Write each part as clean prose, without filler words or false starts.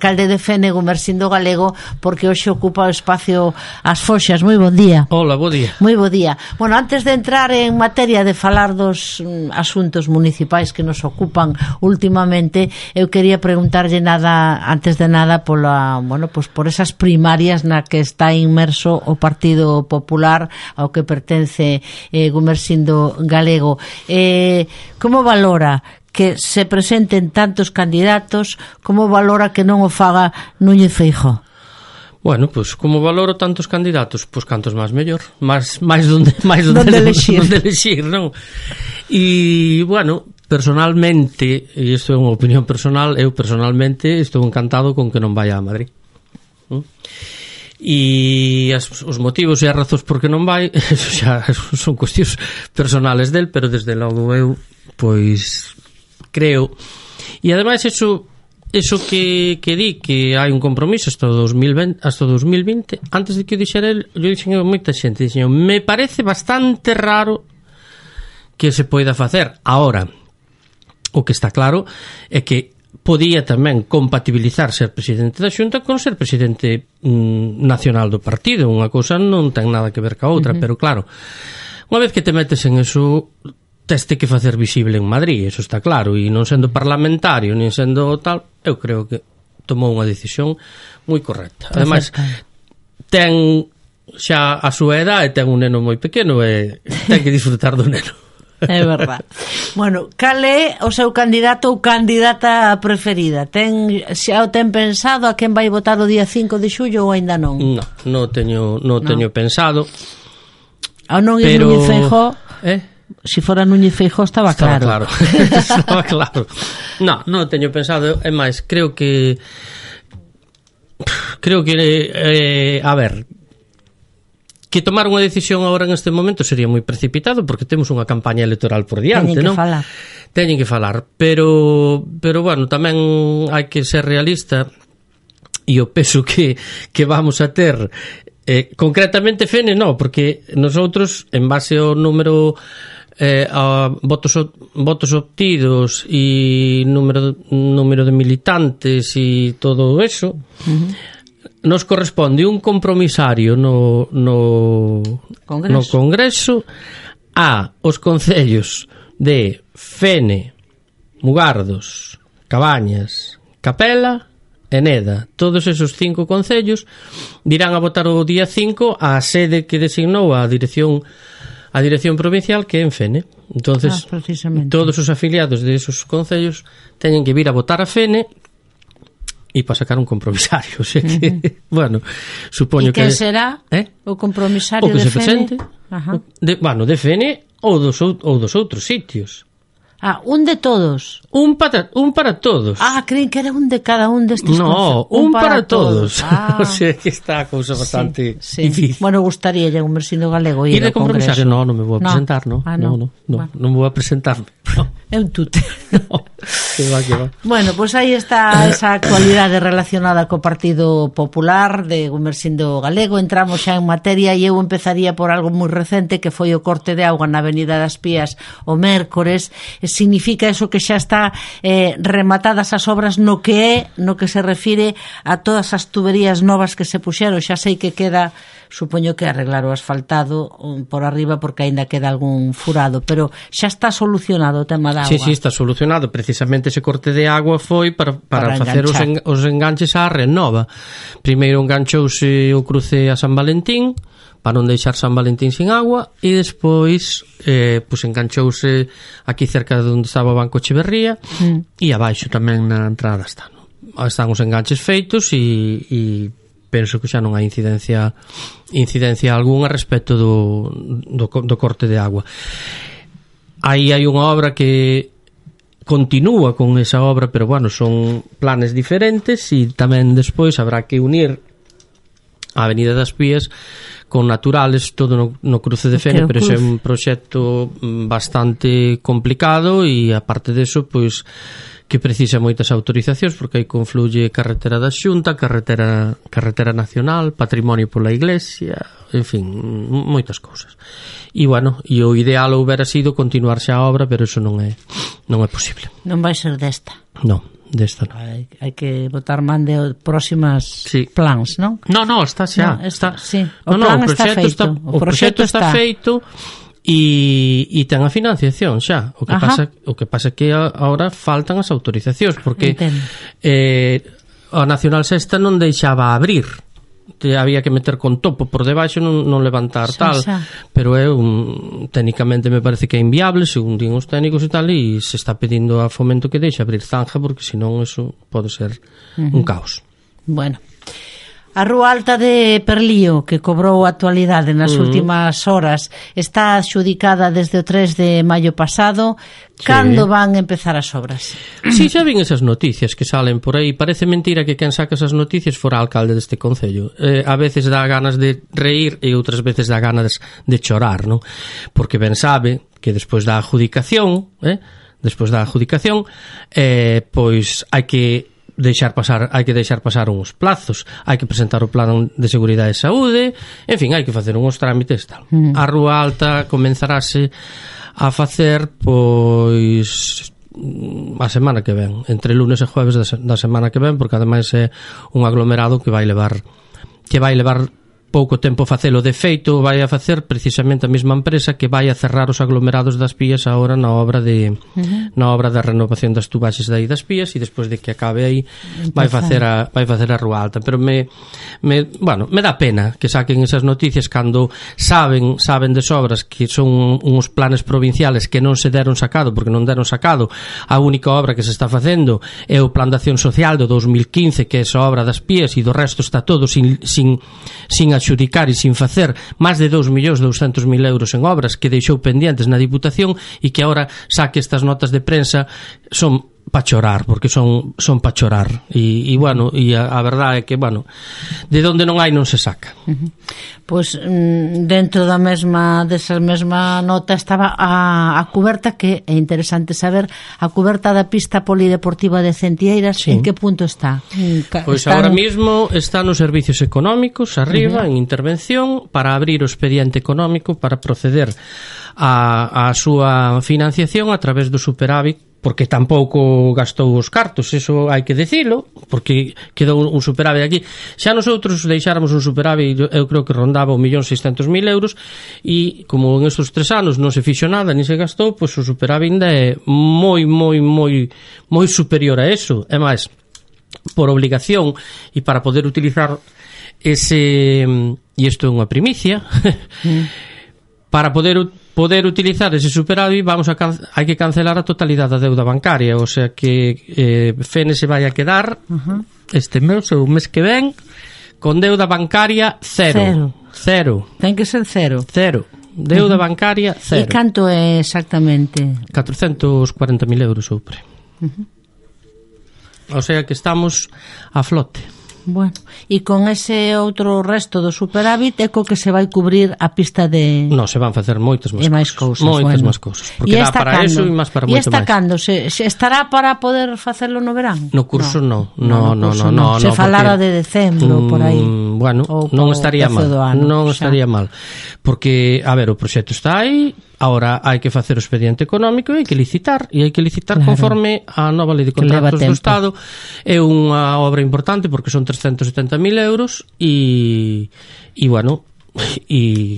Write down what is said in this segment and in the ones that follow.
alcalde de Fene, Gumersindo Galego, porque hoxe ocupa o espacio As Foxas. Moi bon día. Hola, bo día. Moi bo día. Bueno, antes de entrar en materia de falar dos asuntos municipais que nos ocupan últimamente, eu quería preguntarlle antes de nada por esas primarias na que está inmerso o Partido Popular ao que pertence Gumersindo Galego. Como valora que se presenten tantos candidatos? Como valora que non o faga Núñez Feijóo? Bueno, pois como valoro tantos candidatos, pois cantos máis mellor, máis donde elexir, non? E, bueno, personalmente, e isto é unha opinión personal, eu personalmente estou encantado con que non vaya a Madrid. E os motivos e as razóns por que non vai, eso xa son cuestións personales del, pero desde logo eu, pois, creo, e ademais eso que di que hai un compromiso hasta 2020, antes de que o dixera el, eu dixen a moita xente, dixen, me parece bastante raro que se poida facer. Ahora, o que está claro é que podía tamén compatibilizar ser presidente da Xunta con ser presidente nacional do partido. Unha cousa non ten nada que ver ca outra, pero claro, unha vez que te metes en eso, teste que facer visible en Madrid, eso está claro, e non sendo parlamentario, nin sendo tal, eu creo que tomou unha decisión moi correcta. Ademais, ten xa a súa edad e ten un neno moi pequeno e ten que disfrutar do neno. É verdad. Bueno, cal é o seu candidato ou candidata preferida? Xa o ten pensado a quen vai votar o día 5 de xullo ou aínda non? Non teño pensado. Ou non é Núñez Feijóo? Se fora Núñez Feijóo estaba claro. Estaba claro. Non teño pensado, é máis, creo que a ver, que tomar unha decisión agora en este momento sería moi precipitado porque temos unha campaña electoral por diante, non? Teñen que falar, pero bueno, tamén hai que ser realista e o peso que vamos a ter concretamente Fene, non, porque nosotros en base ao número a votos obtidos e número de militantes e todo eso, nos corresponde un compromisario no Congreso a os concellos de Fene, Mugardos, Cabañas, Capela e Neda. Todos esos 5 concellos dirán a votar o día 5 a sede que designou a dirección provincial, que é en Fene. Entonces, todos os afiliados de esos concellos teñen que vir a votar a Fene e para sacar un compromisario, o sea que, bueno, supoño que... E que será o compromisario de Fene? O que se presente, de Fene ou dos outros sitios. Un de todos. Un para todos. Creen que era un de cada un destes. No, un para todos. O sea que está a cousa bastante difícil. Bueno, gustaríalle un Gumersindo Galego ir ao Congreso. E de compromisario, non me vou a presentar, non vou a presentarme. É un tute. Que va. Bueno, pois aí está esa actualidade relacionada co Partido Popular de Gumersindo Galego. Entramos xa en materia e eu empezaría por algo moi recente que foi o corte de auga na Avenida das Pías o mércores. Significa eso que xa está rematadas as obras no que se refire a todas as tuberías novas que se puxeron. Xa sei que queda, supoño que arreglar o asfaltado por arriba porque aínda queda algún furado, pero xa está solucionado o tema da auga. Sí, está solucionado. Precisamente ese corte de agua foi para facer os enganches á Renova. Primeiro enganchouse o cruce a San Valentín para non deixar San Valentín sin agua e despois enganchouse aquí cerca de onde estaba o Banco Echeverría e abaixo tamén na entrada están os enganches feitos e penso que xa non hai incidencia algunha respecto do corte de agua. Aí hai unha obra que continúa con esa obra, pero bueno, son planes diferentes e tamén despois habrá que unir a Avenida das Pías con Naturales, todo no cruce de Fene, pero ese é un proxecto bastante complicado e aparte deso, pois que precisa moitas autorizacións porque aí confluye carretera da Xunta, carretera nacional, patrimonio pola Iglesia, en fin, moitas cousas. E bueno, e o ideal houbera sido continuar xa a obra, pero eso non é posible. Non vai ser desta. Non, desta. Hai que botar man de próximas plans, non? No, está xa. O plan está feito. O proxecto está feito e ten a financiación xa. O que pasa é que agora faltan as autorizacións, porque a Nacional Sexta non deixaba abrir. Había que meter con topo por debaixo, non levantar tal, pero técnicamente me parece que é inviable, según din os técnicos e tal, e se está pedindo a Fomento que deixe abrir zanja, porque senón eso pode ser un caos. Bueno, a Rúa Alta de Perlío, que cobrou actualidade nas últimas horas, está adxudicada desde o 3 de maio pasado. Cando van empezar as obras? Si, xa vin esas noticias que salen por aí. Parece mentira que quen saca esas noticias fora alcalde deste concello. A veces dá ganas de reír e outras veces dá ganas de chorar, non? Porque ben sabe que despois da adjudicación, pois hai que deixar pasar uns plazos, hai que presentar o plan de seguridade e saúde, en fin, hai que facer uns trámites tal. A Rúa Alta comenzarase a facer pois a semana que ven, entre lunes e jueves da semana que ven, porque ademais é un aglomerado que vai levar pouco tempo facelo. De feito, vai a facer precisamente a mesma empresa que vai a cerrar os aglomerados das Pías agora na obra de renovación das tubaxes de aí das Pías, e despois de que acabe aí vai facer a Rúa Alta. Pero me dá pena que saquen esas noticias cando saben de sobras que son uns planes provinciales que non se deron sacado, porque non deron sacado. A única obra que se está facendo é o Plan de Acción Social do 2015, que é esa obra das Pías, e do resto está todo sin adxudicar e sin facer, máis de 2.200.000 euros en obras que deixou pendientes na Diputación, e que agora saque estas notas de prensa son pa chorar, porque son pa chorar, e a verdade é que, de onde non hai non se saca. Pois dentro desa mesma nota estaba a cuberta, que é interesante saber, a cuberta da pista polideportiva de Centieiras, en que punto está? Pois agora mismo está nos servicios económicos, arriba, en intervención, para abrir o expediente económico para proceder a súa financiación a través do superávit, porque tampouco gastou os cartos, eso hai que dicilo, porque quedou un superávit aquí. Xa nosotros deixáramos un superávit, eu creo que rondaba 1.600.000 euros, e como en estes 3 anos non se fixo nada, ni se gastou, pois o superávit é moi superior a eso. É máis, por obligación e para poder utilizar ese, e isto é unha primicia, para poder utilizar ese superávit hai que cancelar a totalidade da deuda bancaria, o sea que Fene se vai a quedar este mes ou o mes que ven con deuda bancaria cero. Ten que ser cero. Deuda bancaria cero. E canto é exactamente? 440.000 euros sobre. O sea que estamos a flote. Bueno, e con ese outro resto do superávit é co que se vai cubrir a pista de... Non, se van facer moitas máis cousas. Moitas máis cousas. Porque dá para eso e máis para moito máis. E esta cando? Se estará para poder facelo no verán? No curso non. Se falara de decembro, por aí. Bueno, non estaría mal. Non estaría mal. Porque, a ver, o proxecto está aí, agora hai que facer o expediente económico e hai que licitar, conforme a nova lei de contratos do Estado. É unha obra importante porque son 370.000 euros e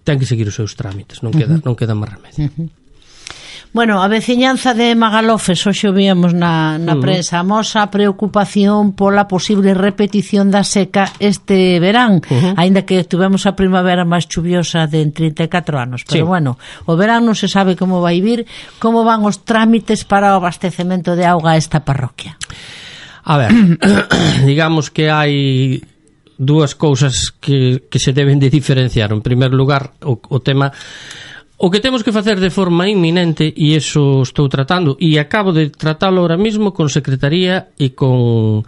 ten que seguir os seus trámites, non queda máis remedio. Bueno, a veciñanza de Magalofes, hoxe o víamos na prensa, amosa preocupación pola posible repetición da seca este verán, aínda que tuvemos a primavera máis chuviosa de 34 anos, pero o verán non se sabe como vai vir. Como van os trámites para o abastecemento de auga a esta parroquia? A ver, digamos que hai dúas cousas que se deben de diferenciar. En primer lugar, o tema... O que temos que facer de forma inminente, e iso estou tratando, e acabo de tratalo ahora mismo con Secretaría e co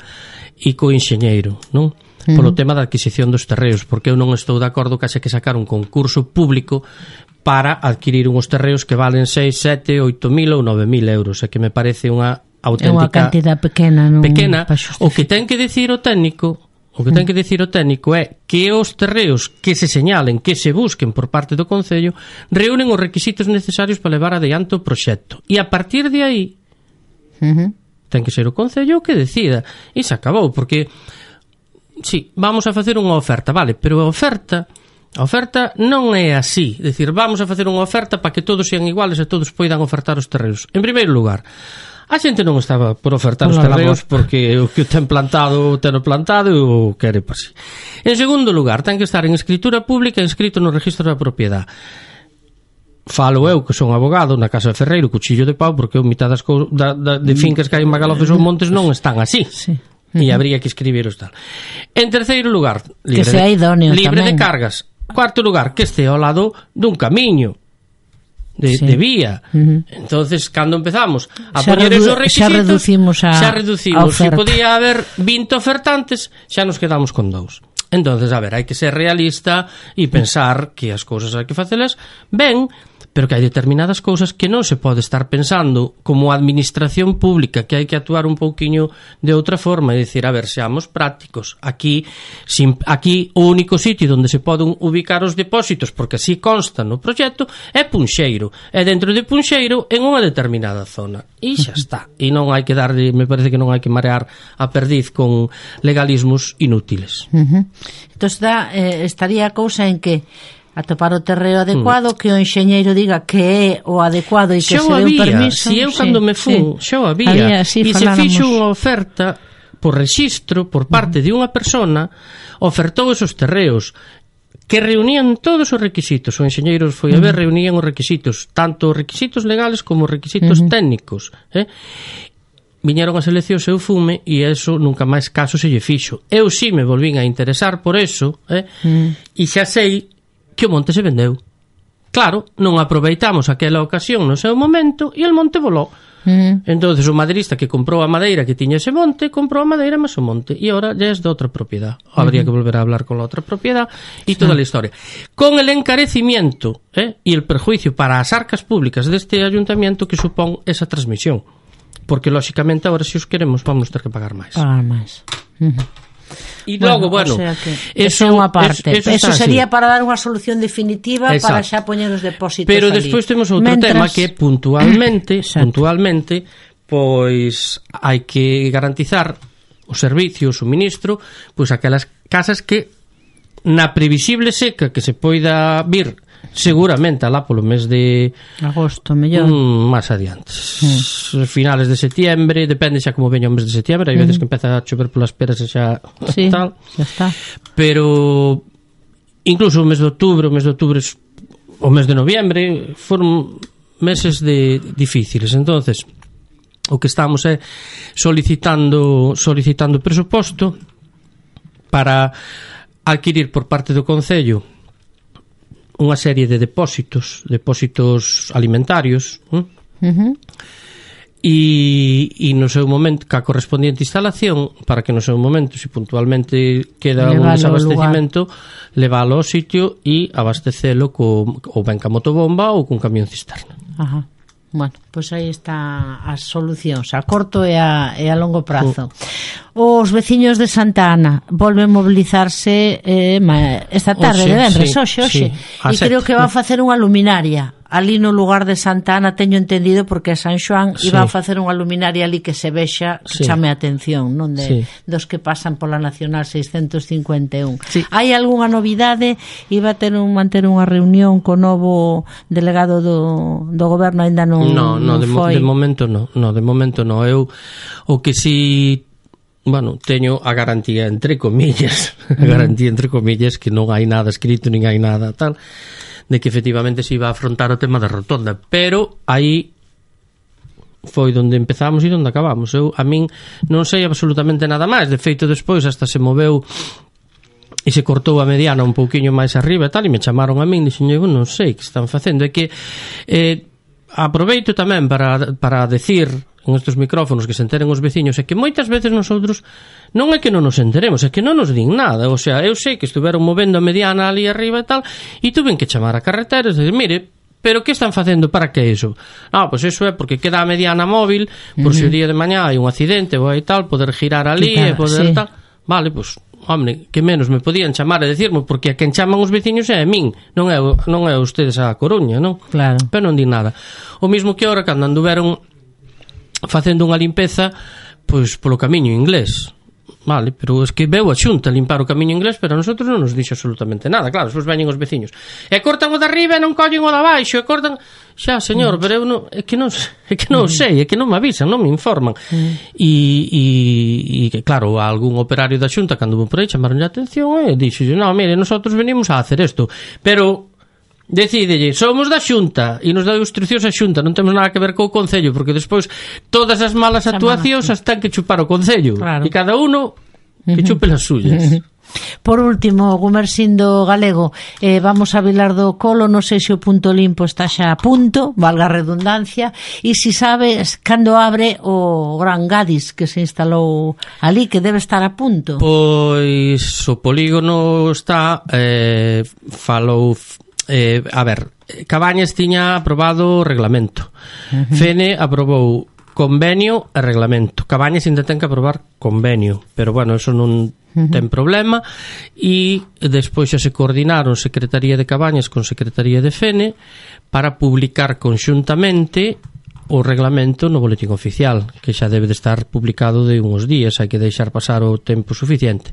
enxeñeiro, non? Polo tema da adquisición dos terreos, porque eu non estou de acordo que haxe que sacar un concurso público para adquirir uns terreos que valen 6, 7, 8.000 ou 9.000 euros, e que me parece unha auténtica... É unha cantidad pequena, non? Pequena. O que ten que dicir o técnico é que os terreos que se señalen, que se busquen por parte do Concello, reúnen os requisitos necesarios para levar adiante o proxecto. E a partir de aí ten que ser o Concello que decida, e se acabou, porque sí, vamos a facer unha oferta, vale, pero a oferta non é así, decir, vamos a facer unha oferta para que todos sean iguales e todos poidan ofertar os terreos. En primeiro lugar, a xente non estaba por ofertar os terreos porque o que o ten plantado e o quere para si. En segundo lugar, ten que estar en escritura pública e inscrito no registro da propiedade. Falo eu, que son abogado na Casa de Ferreiro, cuchillo de pau, porque eu mitad das de fincas que hai en Magalofes ou Montes non están así. Sí. E habría que escribiros tal. En terceiro lugar, libre de cargas. Cuarto lugar, que este ao lado dun camiño de vía. Entonces, cando empezamos a poñer esos requisitos, xa reducimos. Se podía haber 20 ofertantes, xa nos quedamos con 2. Entonces, a ver, hai que ser realista e pensar que as cousas hai que facelas ben, pero que hai determinadas cousas que non se pode estar pensando como administración pública, que hai que actuar un pouquiño de outra forma, e dicir, a ver, seamos prácticos. Aquí o único sitio onde se poden ubicar os depósitos, porque así consta no proxecto, é Punxeiro. É dentro de Punxeiro en unha determinada zona. E xa está. E non hai que darle, me parece que non hai que marear a perdiz con legalismos inútiles. Entón estaría a cousa en que atopar o terreo adecuado, que o enxeñeiro diga que é o adecuado e que se dé un permiso. Si eu cando me fun, xa o había, e se fixo unha oferta por rexistro por parte de unha persona, ofertou esos terreos que reunían todos os requisitos. O enxeñeiro foi a ver, reunían os requisitos, tanto os requisitos legales como os requisitos técnicos. Viñeron as eleccións, eu fume, e eso nunca máis caso se lle fixo. Eu si me volvín a interesar por eso, e xa sei que o monte se vendeu. Claro, non aproveitamos aquela ocasión no seu momento e el monte volou. Entonces o maderista que comprou a madeira que tiña ese monte, comprou a madeira máis o monte, e ahora ya es de outra propiedad. Habría que volver a hablar con la outra propiedad e toda a historia. Con el encarecimiento e el perjuicio para as arcas públicas deste ayuntamiento que supón esa transmisión. Porque, lóxicamente, agora se os queremos vamos ter que pagar máis. E logo, bueno, o sea que eso é unha parte. Eso sería para dar unha solución definitiva. Exacto. Para xa poñer os depósitos. Pero despois temos outro tema que puntualmente, pois hai que garantizar o servicio, o suministro, pois aquelas casas que na previsible seca que se poida vir seguramente alá polo mes de agosto, mellor máis adiante, finales de setiembre, depende xa como veña o mes de setiembre, hai veces que empeza a chover polas peras e xa tal, xa está. Pero incluso o mes de outubro, o mes de noviembre foron meses difíciles. Entonces o que estamos é solicitando presuposto para adquirir por parte do Concello unha serie de depósitos alimentarios, e no seu momento, ca correspondiente instalación, para que no seu momento, se puntualmente queda un desabastecimento, leválo ao sitio e abastecelo ou ben ca motobomba ou cun camión cisterna. Bueno, pois aí está as solucións a corto e a longo prazo. Os veciños de Santa Ana volven mobilizarse esta tarde, de venres, hoxe. E creo que van facer unha luminaria ali no lugar de Santa Ana, teño entendido, porque a San Xoán iba a facer unha luminaria ali que se vexa, que chame a atención, non dos que pasan pola Nacional 651. Hai algunha novidade? Iba a manter unha reunión co novo delegado do goberno, aínda non foi? De momento non. Eu o que si teño a garantía entre comillas, que non hai nada escrito, nin hai nada tal, de que efectivamente se iba a afrontar o tema da rotonda, pero aí foi onde empezamos e onde acabamos. A min non sei absolutamente nada máis. De feito, despois hasta se moveu e se cortou a mediana un pouquiño máis arriba e tal, e me chamaron a min e dixen, non sei que están facendo. É que aproveito tamén para decir en estes micrófonos que se enteren os veciños, é que moitas veces nosotros non é que non nos enteremos, é que non nos din nada. O sea, eu sei que estuveron movendo a mediana ali arriba e tal, e tuven que chamar a carreteras e dizer, mire, pero que están facendo, para que iso? Pois iso é porque queda a mediana móvil, por se o día de mañá hai un accidente ou hai tal, poder girar ali e poder tal. Vale, pois hombre, que menos me podían chamar e decirme, porque a quen chaman os veciños é a min, non é ustedes a Coruña, non? Claro. Pero non di nada. O mismo que ahora, cando anduveron facendo unha limpeza pois polo camiño inglés. Vale, pero es que veu a Xunta limpar o camiño inglés, pero a nosotros non nos dixo absolutamente nada. Claro, despois veñen os veciños e cortan o de arriba e non collen o de abaixo, e cortan... Xa, señor, pero eu non, é que non sei, é que non me avisan, non me informan. E claro, a algún operario da Xunta cando vou por aí chamaronlle a atención e dixo, no, mire, nosotros venimos a hacer isto, pero decídelle, somos da Xunta e nos dá instruccións a Xunta, non temos nada que ver co Concello, porque despois todas as malas actuacións as ten que chupar o Concello, claro. E cada uno que chupe as suyas. Por último, Gumersindo Galego, vamos a Vilar do Colo, non sei se o punto limpo está xa a punto, valga a redundancia, e se sabes cando abre o Gran Gadis que se instalou ali, que debe estar a punto. Pois o polígono está falou a ver, Cabañas tiña aprobado o reglamento, Fene aprobou convenio e reglamento. Cabañas ainda ten que aprobar convenio, pero bueno, eso non ten problema, e despois xa se coordinaron Secretaría de Cabañas con Secretaría de Fene para publicar conxuntamente o reglamento no boletín oficial, que xa debe de estar publicado de uns días, hai que deixar pasar o tempo suficiente.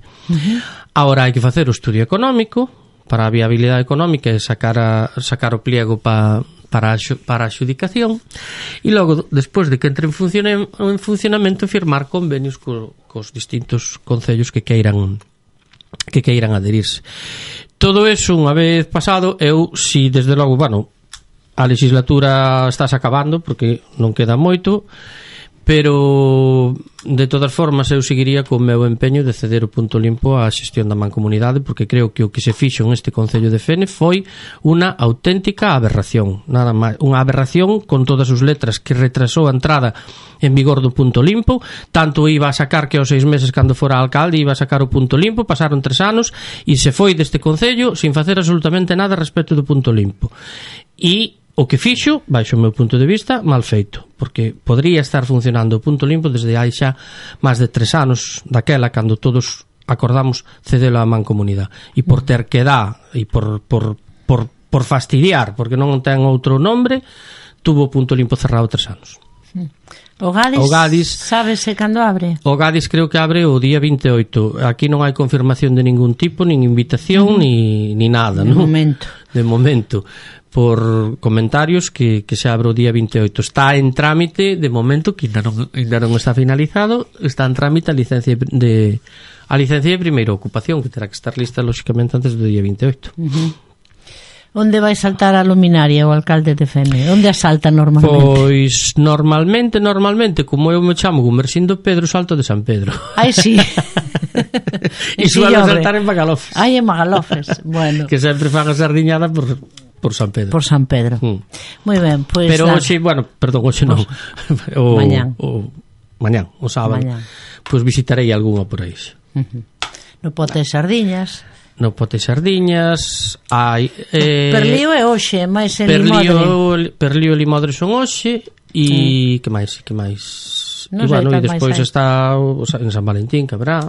Agora hai que facer o estudio económico para a viabilidade económica e sacar o pliego para a adxudicación, e logo, despois de que entre en funcionamento, firmar convenios cos distintos concellos que queiran adherirse. Todo eso, unha vez pasado, si desde logo, bueno, a legislatura estás acabando porque non queda moito, pero de todas formas eu seguiría co meu empeño de ceder o punto limpo á xestión da mancomunidade, porque creo que o que se fixo neste Concello de Fene foi unha auténtica aberración, nada máis, unha aberración con todas as letras, que retrasou a entrada en vigor do punto limpo. Tanto iba a sacar que aos 6 meses cando fora alcalde iba a sacar o punto limpo, pasaron 3 anos e se foi deste Concello sin facer absolutamente nada respecto do punto limpo. E o que fixo, baixo o meu punto de vista, mal feito, porque podría estar funcionando o punto limpo desde hai xa máis de 3 anos daquela, cando todos acordamos cedelo á mancomunidade, e por ter que dar e por fastidiar, porque non ten outro nombre, tuvo o punto limpo cerrado 3 anos. O Gadis, sábese cando abre? O Gadis creo que abre o día 28. Aquí non hai confirmación de ningún tipo, nin invitación, ni nada, de non? Momento. De momento, por comentarios que se abre o día 28. Está en trámite, de momento, que ainda non está finalizado, está en trámite a licencia de primeira ocupación, que terá que estar lista, lóxicamente, antes do día 28. Onde vai saltar a luminaria o alcalde de Fene? Onde a salta normalmente? Pois normalmente, como eu me chamo Gumersindo Pedro, salto de San Pedro. Ai, sí. E suelo saltar en Magalofes. Ai, en Magalofes, bueno. Que sempre fan a sardiñada por San Pedro. Por San Pedro. Moi ben, pois... Pero hoxe, bueno, perdón, hoxe non. Mañán, o sábado. Pois visitarei algunha por aí. No pote de sardiñas... No pote sardiñas hai Perlío é hoxe, máis en Limodre. Perlío e Limodre son hoxe. E que máis? Non e bueno, e despois está en San Valentín, que habrá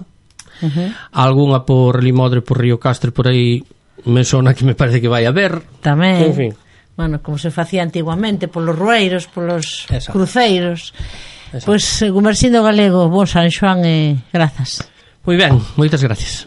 algunha por Limodre, por Río Castre, por aí me sona que me parece que vai a ver tamén, en fin. Bueno, como se facía antiguamente, polos rueiros, polos cruceiros. Pois Gumersindo Galego, bon San Xoán e grazas. Moi ben, moitas gracias.